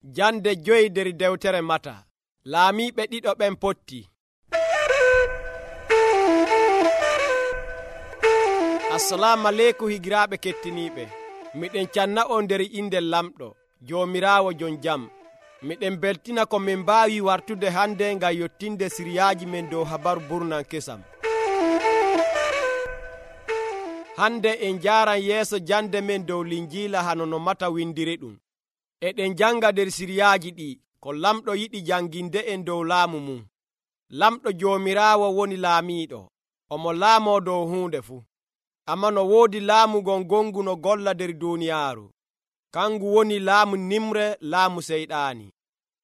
Jande 5 der dewtere Mata. Laamiiɓe ɗiɗo ɓen potti. Assalamu aleykum higiraaɓe kettiniiɓe. Miɗen canna on nder inde lamɗo Joomiraawo jon jam. Miɗen beltina ko min mbaawi wartude hande ngam yottinde siriyaaji men dow habaru burnan kesam. Hande en jaaran yeeso jande men dow linjiila hano no Mata windiri ɗum. Eɗen janga nder siriyaaji ɗi ko lamɗo yiɗi janginde en dow laamu mum. Lamɗo Joomiraawo woni laamiiɗo, omo laamoo dow huunde fuu. Amma no woodi laamu gongu no golla nder duuniyaaru. Kangu woni laamu nimre, laamu seyɗaani.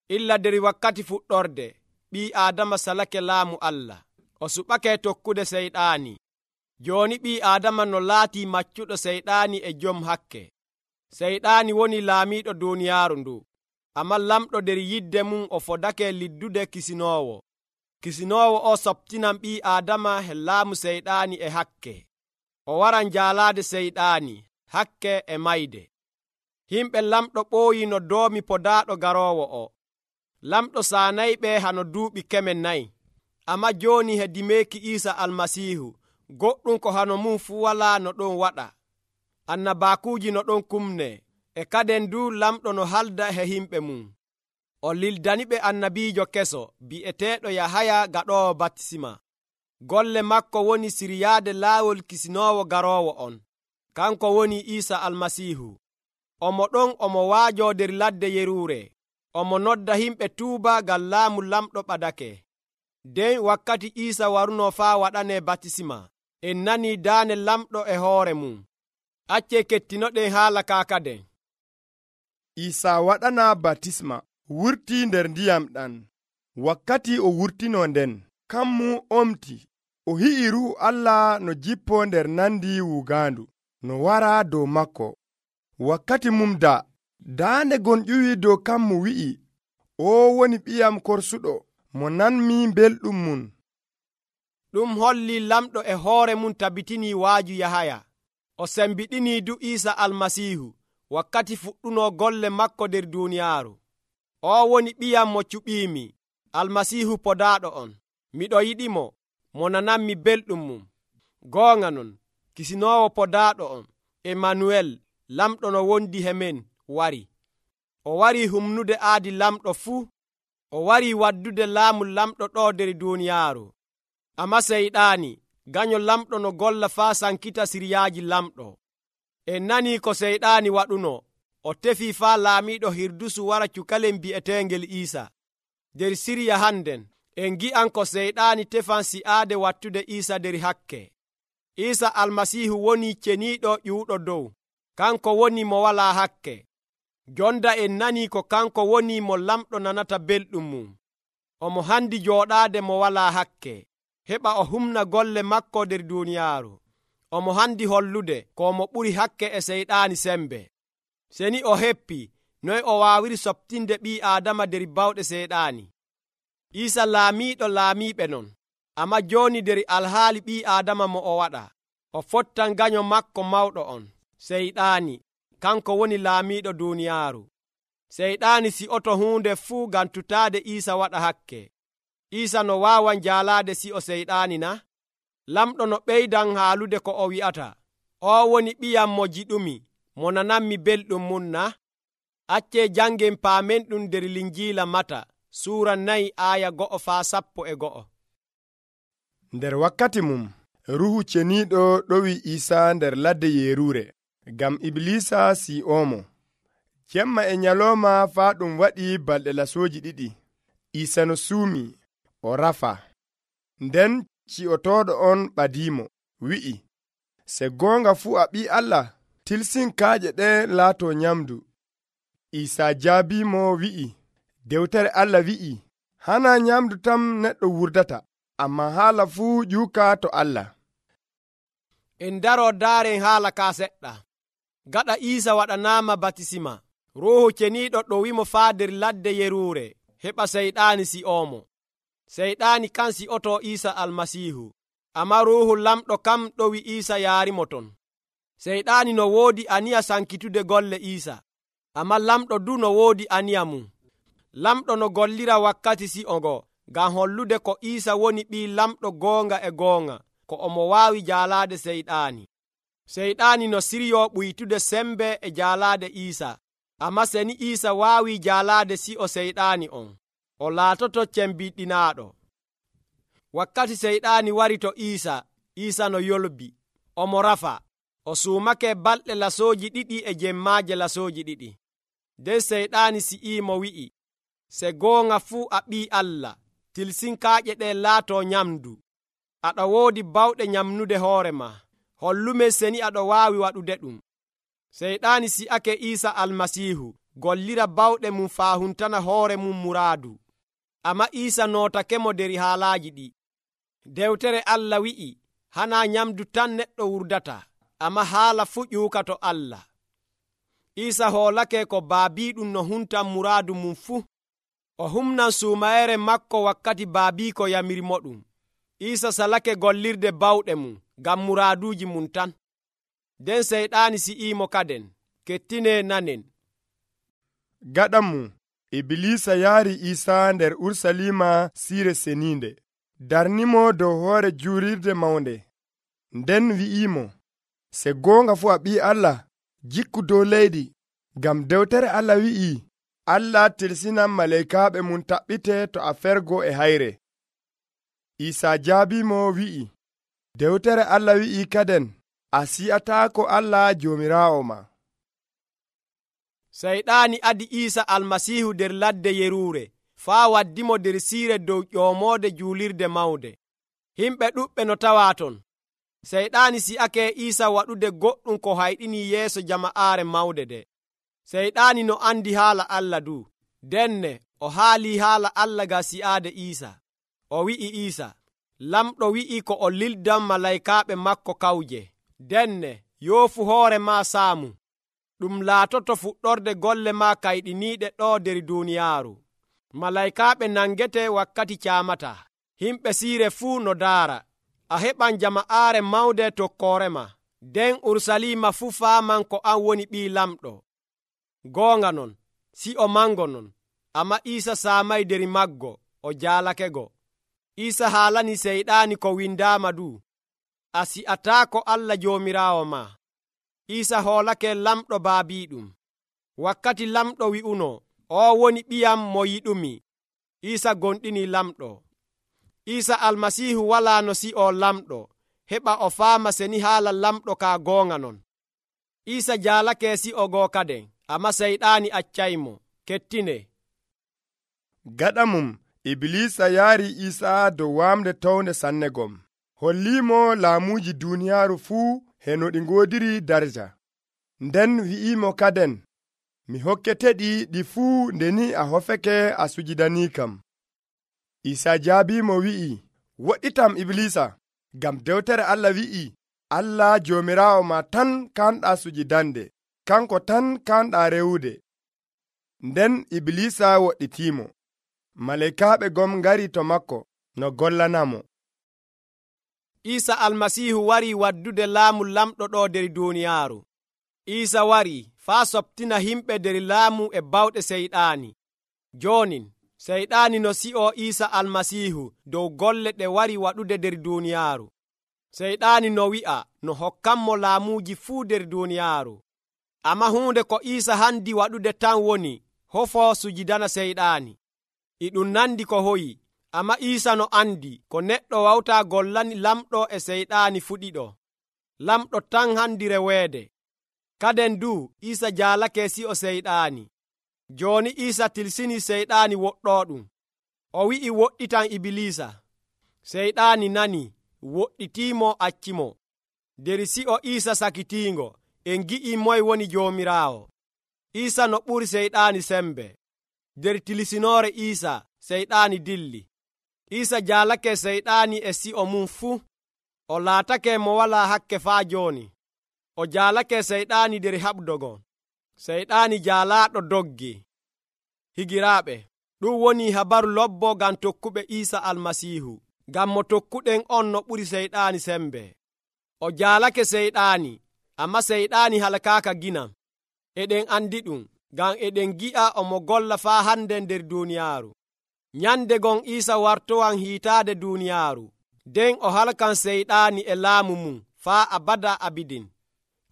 Illa nder wakkati fuɗɗorde, ɓii Aadama salake laamu Allah. O suɓake tokkude seyɗaani. Jooni ɓii Aadama no laatii maccuɗo seyɗaani e jom hakke. Seyɗaani woni laamiiɗo duuniyaaru ndu. Amma lamɗo nder yidde mum o fodake liddude kisinoowo. Kisinoowo o soptinan ɓii Aadama he laamu seyɗaani e hakke. O waran jaalaade seyɗaani, hakke e mayde. Himɓe lamɗo ɓooyi no doomi podaaɗo garoowo o. Lamɗo saanayɓe hano duuɓi 4,000. Amma jooni he dimeeki Iisa Almasiihu, goɗɗum ko hano mum fuu walaa no ɗon waɗa. Annabaakuuji no ɗon kumne, e kaden du lamɗo no halda he himɓe mum. O lildaniɓe annabiijo keso bi'eteeɗo Yahaya gaɗoowo batisima. Golle makko woni siryaade laawol kisinoowo garoowo on. Kanko woni Iisa Almasiihu. Omo ɗon omo waajoo nder ladde Yeruure. Omo nodda himɓe tuuba ngam laamu lamɗo ɓadake. Den wakkati Iisa waruno faa waɗanee batisima, en nanii daane lamɗo e hoore mum. Accee kettinoɗen haala kaakaden. Iisa waɗana batisma wurtii nder ndiyam ɗan. Wakkati o wurtino nden, kammu omti. O hi'i Ruhu Allah no jippoo nder nandi wugaandu, no wara dow makko. Wakkati mum daande gon ƴuwi dow kammu wi'i, o woni ɓiyam korsuɗo, mo nanmi belɗum mum. Ɗum holli lamɗo e hoore mum tabitini waaju Yahaya. O sembiɗini du Iisa Almasiihu wakkati fuɗɗuno golle makko nder duuniyaaru. O woni ɓiyam mo cuɓiimi, Almasiihu podaaɗo on. Miɗo yiɗimo, mo nananmi belɗum mum. Goonga non, kisinoowo podaaɗo on, Emanuel, lamɗo no wondi he men, wari. O wari humnude aadi lamɗo fuu. O wari waddude laamu lamɗo ɗo nder duuniyaaru. Amma seyɗaani, ganyo lamɗo no golla faa sankita siryaaji lamɗo. En nanii ko seyɗaani waɗuno. O tefii faa laamiiɗo Hirdusu wara cukalel bi'eteengel Iisa. Nder sirya hannden, en gi'an ko seyɗaani tefan si'aade wattude Iisa nder hakke. Iisa Almasiihu woni ceniiɗo ƴuuɗo dow. Kanko woni mo walaa hakke. Jonda en nanii ko kanko woni mo lamɗo nanata belɗum mum. Omo handi jooɗaade mo walaa hakke, heɓa o humna golle makko nder duuniyaaru. Omo handi hollude ko mo ɓuri hakke e seyɗaani sembe. Seni o heppii, noy o waawiri soɓtinde ɓii Aadama nder bawɗe seyɗaani. Iisa laamiiɗo laamiiɓe non, amma jooni nder alhaali ɓii Aadama mo o waɗa. O fottan ganyo makko mawɗo on, seyɗaani. Kanko woni laamiiɗo duuniyaaru. Seyɗaani si'oto huunde fuu ngam tutaade Iisa waɗa hakke. Iisa no waawan jaalaade si'o seyɗaani na? Lamɗo no ɓeydan haalude ko o wi'ata, o woni ɓiyam mo jiɗumi, mo nananmi belɗum mum na? Accee jangen paamen ɗum nder linjiila Mata, suura 4 aaya 1 faa 11. Nder wakkati mum, Ruhu ceniiɗo ɗowi Iisa nder ladde Yeruure, ngam Iblisa si'oomo. Jemma e nyalooma faa ɗum waɗi balɗe lasooji 2. Iisa no suumi, o rafa. Nden ci'otooɗo on ɓadiimo, wi'i, se goonga fuu a ɓii Allah, tilsin kaaƴe ɗe laato nyamdu. Iisa jaabiimo wi'i, dewtere Allah wi'i, hana nyamdu tam neɗɗo wurdata, amma haala fuu ƴuuka to Allah. En daro daaren haala ka seɗɗa. Gaɗa Iisa waɗanaama batisima, Ruuhu ceniiɗo ɗowimo faa nder ladde Yeruure, heɓa seyɗaani si'oomo. Seyɗaani kan si'oto Iisa Almasiihu, amma Ruuhu lamɗo kam ɗowi Iisa yaarimo ton. Seyɗaani no woodi aniya sankitude golle Iisa. Ammaa lamɗo du no woodi aniya mum. Lamɗo no gollira wakkati si'o ngo ngam hollude ko Iisa woni ɓii lamɗo goonga e goonga ko omo waawi jaalaade Seyɗaani. Seyɗaani no siryoo ɓuytude sembe e jaalaade Iisa. Ammaa seni Iisa waawi jaalaade si'o Seyɗaani on, o laatoto cembiɗinaaɗo. Wakkati Seyɗaani wari to Iisa, Iisa no yolbi, omo rafa, o suumake balɗe lasooji ɗiɗi e jemmaaje lasooji ɗiɗi. Nden Seyɗaani si'iimo wi'i, se goonga fuu a ɓii Allah, tilsinkaaƴe ɗe laatoo nyamdu. Aɗa woodi bawɗe nyamnude hoore ma. Hollumen seni aɗa waawi waɗude ɗum. Seyɗaani si'ake Iisa Almasiihu gollira bawɗe mum faa huntana hoore mum muraadu. Ammaa Iisa nootakemo der haalaaji ɗi. Dewtere Allah wi'i, hanaa nyamdu tan neɗɗo wurdata, ammaa haala fuu ƴuuka to Allah. Iisa hoolake ko baabiiɗum no huntan muraadu mum fuu. O humnan suumayere makko wakkati baabiiko yamirmoɗum. Iisa salake gollirde bawɗe mum ngam muraaduuji mum tan. Nden Seyɗaani si'iimo kaden. Kettine nanen. Gaɗam mum, Ibilisa yaari Iisa nder Urusalima siire seniinde, darnimo dow hoore juurirde mawnde. Nden wi'imo, se goonga fuu a ɓii Allah, jikku dow leydi, ngam dewtere Allah wi'i, Allah tilsinan maleykaaɓe mum taɓɓite to a fergo e hayre. Iisa jaabimo wi'i, dewtere Allah wi'i kaden, a si'ataako Allah Joomiraawo ma. Seyɗaani adi Iisa Almasiihu nder ladde yeruure faa waddimo nder siire dow ƴoomoode juulirde mawnde. Himɓe ɗuɓɓe no tawaa ton. Seyɗaani si'ake Iisa waɗude goɗɗum ko hayɗini yeeso jama'aare mawde nde. Seyɗaani no andi haala Allah du. Denne o haalii haala Allah ga si'aade Iisa. O wi'i Iisa, lamɗo wi'i ko o lildan malaykaaɓe makko kawje. Denne yoofu hoore maa saamu. Ɗum laatoto fuɗɗorde golle maa kayɗiniiɗe ɗo der duuniyaaru. Malaykaaɓe nangete wakkati caamata. Himɓe siire fuu no daara. A heɓan jama'aare mawnde tokkoore ma. Nden Urusalima fuu faaman ko an woni ɓii lamɗo. Goonga non, si'o mango non, ammaa Iisa saamay der maggo, o jaalakego. Iisa haalani Seyɗaani ko windaama du. A si'ataako Allah Joomiraawo ma. Iisa hoolake lamɗo baabiiɗum. Wakkati lamɗo wi'uno, o woni ɓiyam mo yiɗumi, Iisa gonɗini lamɗo. Iisa Almasiihu walaa no si'o lamɗo, heɓa o faama seni haala lamɗo ka goonga non. Iisa jaalake si'o goo kaden, ammaa Seyɗaani accaymo. Kettine. Gaɗa mum, Ibilisa yaari Iisa dow waamde townde sannegom. Holliimo laamuuji duuniyaaru fuu heno ɗi ngoodiri darja. Nden wi'imo kaden, mi hokketeɗi ɗi fuu ndeni a hofeke a sujidanii kam. Iisa jaabiimo wi'i, woɗɗitam Ibilisa, ngam dewtere Allah wi'i, Allah Joomiraawo ma tan kanɗaa sujidande, kanko tan kanɗaa rewude. Nden Ibilisa woɗɗitiimo. Maleykaaɓe gom ngari to makko no gollanamo. Iisa Almasiihu wari waddude laamu lamɗo ɗo der duuniyaaru. Iisa wari faa soptina himɓe der laamu e bawɗe Seyɗaani. Joonin, Seyɗaani no si'o Iisa Almasiihu dow golle ɗe wari waɗude der duuniyaaru. Seyɗaani no wi'a no hokkanmo laamuuji fuu der duuniyaaru. Ammaa huunde ko Iisa handi waɗude tan woni hofo sujidana Seyɗaani. E ɗum nandi ko hoyi. Ammaa Iisa no andi ko neɗɗo wawtaa gollani lamɗo e Seyɗaani fuɗiɗo. Lamɗo tan handi reweede. Kaden du Iisa jaalake si'o Seyɗaani. Jooni Iisa tilsini Seyɗaani woɗɗooɗum. O wi'i woɗɗitan Ibilisa. Seyɗaani nani, woɗɗitiimo accimo. Der si'o Iisa sakitiingo, en gi'i moye woni Joomiraawo. Iisa no ɓuri Seyɗaani sembe. Der tilsinoore Iisa, Seyɗaani dilli. Iisa jaalake Seyɗaani e si'o mum fuu. O laatake mo walaa hakke faa jooni. O jaalake Seyɗaani der haɓdogon. Seyɗaani jaalaaɗo doggi. Higiraaɓe, ɗum woni habaru lobbo ngam tokkuɓe Iisa Almasiihu. Ngam mo tokkuɗen on no ɓuri Seyɗaani sembe. O jaalake Seyɗaani, ammaa Seyɗaani halakaaka ginam. Eɗen andi ɗum, ngam eɗen gi'a omo golla faa hande nder duuniyaaru. Nyande gon Iisa wartowan hiitaade duuniyaaru, nden o halkan seyɗaani e laamu mum faa abada abidin.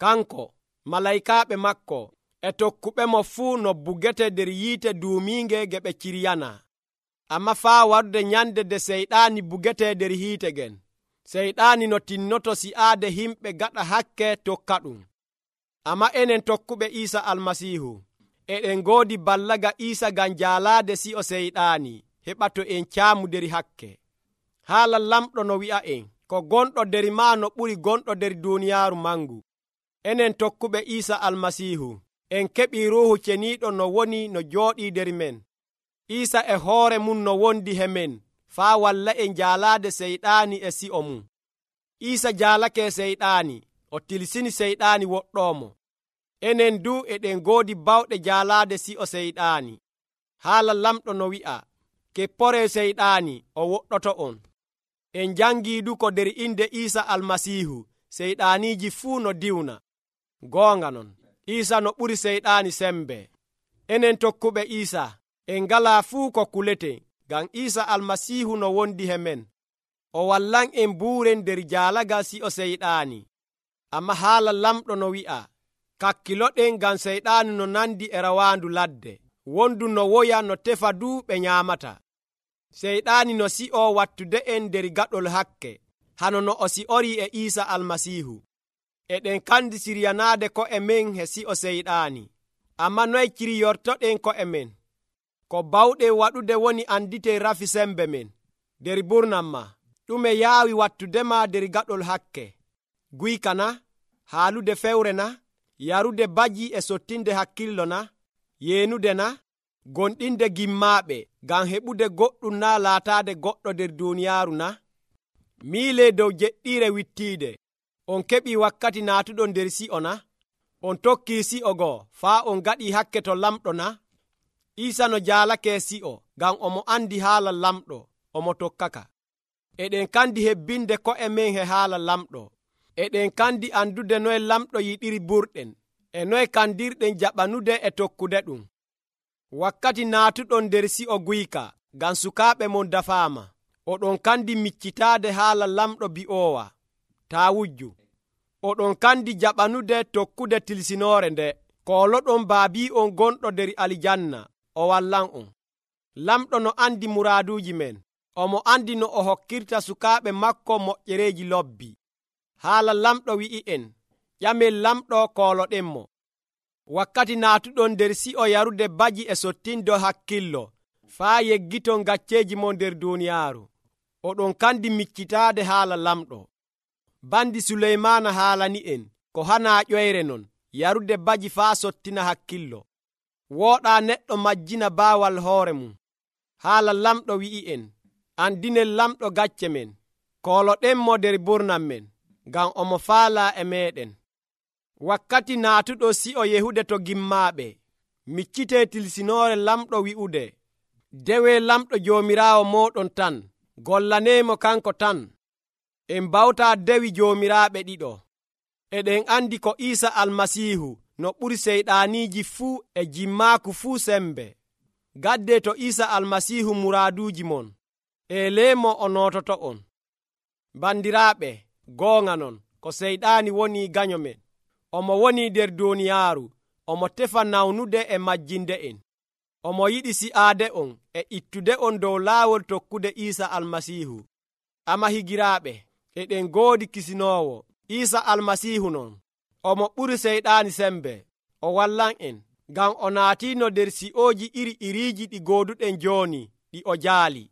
Kanko, malaykaaɓe makko e tokkuɓemo fuu no bugete nder yiite duumiinge ge ɓe ciryana. Amma faa warde nyande nde seyɗaani bugete nder hiite gen, seyɗaani no tinnoto si'aade himɓe gaɗa hakke tokka ɗum. Amma enen tokkuɓe Iisa Almasiihu eɗen ngoodi ballaga Iisa ngam jaalaade si'o seyɗaani heɓa to en caamu nder hakke. Haala lamɗo no wi'a'en, ko gonɗo nder maa no ɓuri gonɗo nder duuniyaaru mangu. Enen tokkuɓe Iisa Almasiihu en keɓii Ruuhu Ceniiɗo no woni no jooɗii nder men. Iisa e hoore mum no wondi he men faa walla en jaalaade seyɗaani e si'o mum. Iisa jaalake seyɗaani, o tilsini seyɗaani woɗɗoomo. Enen du eɗen ngoodi bawɗe jaalaade si'o seyɗaani. Haala lamɗo no wi'a, keppore seyɗaani o woɗɗoto on. En jangii du ko nder inde Iisa Almasiihu seyɗaaniiji fuu no diwna. Goonga non, Iisa no ɓuri seyɗaani sembe. Enen tokkuɓe Iisa en ngalaa fuu ko kuleten, ngam Iisa Almasiihu no wondi he men. O wallan en buuren nder jaalagal si'o seyɗaani. Amma haala lamɗo no wi'a, kakkiloɗen ngam seyɗaani no nandi e rawaandu ladde, wondu no woya no tefa du ɓe nyaamata. Seyɗaani no si'o wattude en nder gaɗol hakke, hano no o si'orii e Iisa Almasiihu. Eɗen kandi siryanaade ko'e men he si'o seyɗaani. Amma noye ciriyortoɗen ko'e men? Ko bawɗen waɗude woni anditen rafi sembe men. Nder burnam ma, ɗume yaawi wattudema nder gaɗol hakke? Guyka na? Haalude fewre na? Yarude baji e sottinde hakkillo na? Yeenude na? Gonɗinde gimmaaɓe ngam heɓude goɗɗum na laataade goɗɗo nder duuniyaaru na? Miile dow jeɗɗiire wittiide, on keɓii wakkati naatuɗon nder si'o na? On tokkii si'o goo faa on gaɗii hakke to lamɗo na? Iisa no jaalake si'o ngam omo andi haala lamɗo, omo tokkaka. Eɗen kandi hebbinde ko'e men he haala lamɗo. Eɗen kandi andude noye lamɗo yiɗiri burɗen, e noye kandirɗen jaɓanude e tokkude ɗum. Wakkati naatuɗon nder si'o guyka ngam sukaaɓe mon dafaama, oɗon kandi miccitaade haala lamɗo bi'oowa, taa wujju. Oɗon kandi jaɓanude tokkude tilsinoore nde. Kooloɗon baabi'on gonɗo nder alijanna, o wallan on. Lamɗo no andi muraaduuji men, omo andi no o hokkirta sukaaɓe makko moƴƴereeji lobbi. Haala lamɗo wi'i'en, ƴamen lamɗo kooloɗenmo. Wakkati naatuɗon nder si'o yarude baji e sottindo hakkillo, faa yeggiton gacceeji mon nder duuniyaaru, oɗon kandi miccitaade haala lamɗo. Bandi Suleymaana haalani'en ko hanaa ƴoyre non, yarude baji faa sottina hakkillo. Wooɗaa neɗɗo majjina baawal hoore mum. Haala lamɗo wi'i'en, andinen lamɗo gacce men, kooloɗenmo nder burnam men, ngam omo faalaa e meeɗen. Wakkati naatuɗo si'o yehude to gimmaaɓe, miccitee tilsinoore lamɗo wi'ude, dewe lamɗo joomiraawo mooɗon tan, gollaneemo kanko tan. En bawtaa dewi joomiraaɓe ɗiɗo. Eɗen andi ko Iisa Almasiihu no ɓuri seyɗaaniiji fuu e jimmaaku fuu sembe. Gadde to Iisa Almasiihu muraaduuji mon, eleemo o noototo on. Bandiraaɓe, goonga non, ko seyɗaani woni ganyo men. Omo woni nder duuniyaaru, omo tefa nawnude e majjinde en. Omo yiɗi si'aade on e ittude on dow laawol tokkude Iisa Almasiihu. Amma higiraaɓe, eɗen ngoodi kisinoowo, Iisa Almasiihu non. Omo ɓuri seyɗaani sembe. O wallan en, ngam o naatiino nder si'ooji iri-iriiji ɗi gooduɗen jooni, ɗi o jaali.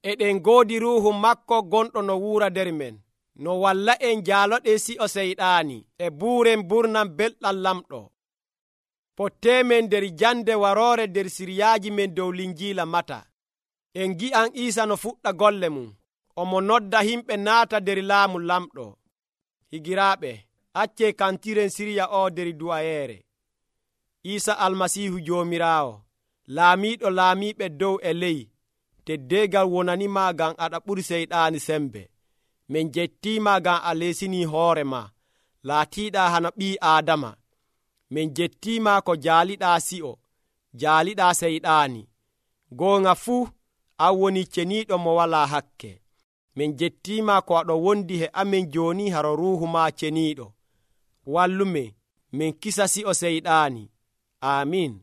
Eɗen ngoodi Ruuhu makko gonɗo no wuura nder men, no walla en jaaloɗe si'o seyɗaani e buuren burnam belɗam lamɗo. Potteemen nder jande waroore nder siryaaji men dow linjiila Mata. En gi'an Iisa no fuɗɗa golle mum, omo nodda himɓe naata nder laamu lamɗo. Higiraaɓe, accee kantiren sirya o nder du'ayeere. Iisa Almasiihu Joomiraawo, laamiiɗo laamiiɓe dow e ley, teddeegal wonanima ngam aɗa ɓuri seyɗaani sembe. Min jettiima ngam a leesinii hoore ma, laatiiɗa hana ɓii Aadama. min jettiima ko jaaliɗaa si'o jaaliɗaa seyɗaani. Goonga fuu an woni ceniiɗo mo walaa hakke. min jettiima ko aɗo wondi he amin jooni haro ruuhu maa ceniiɗo. Wallumin min kisa si'o seyɗaani. Aamin.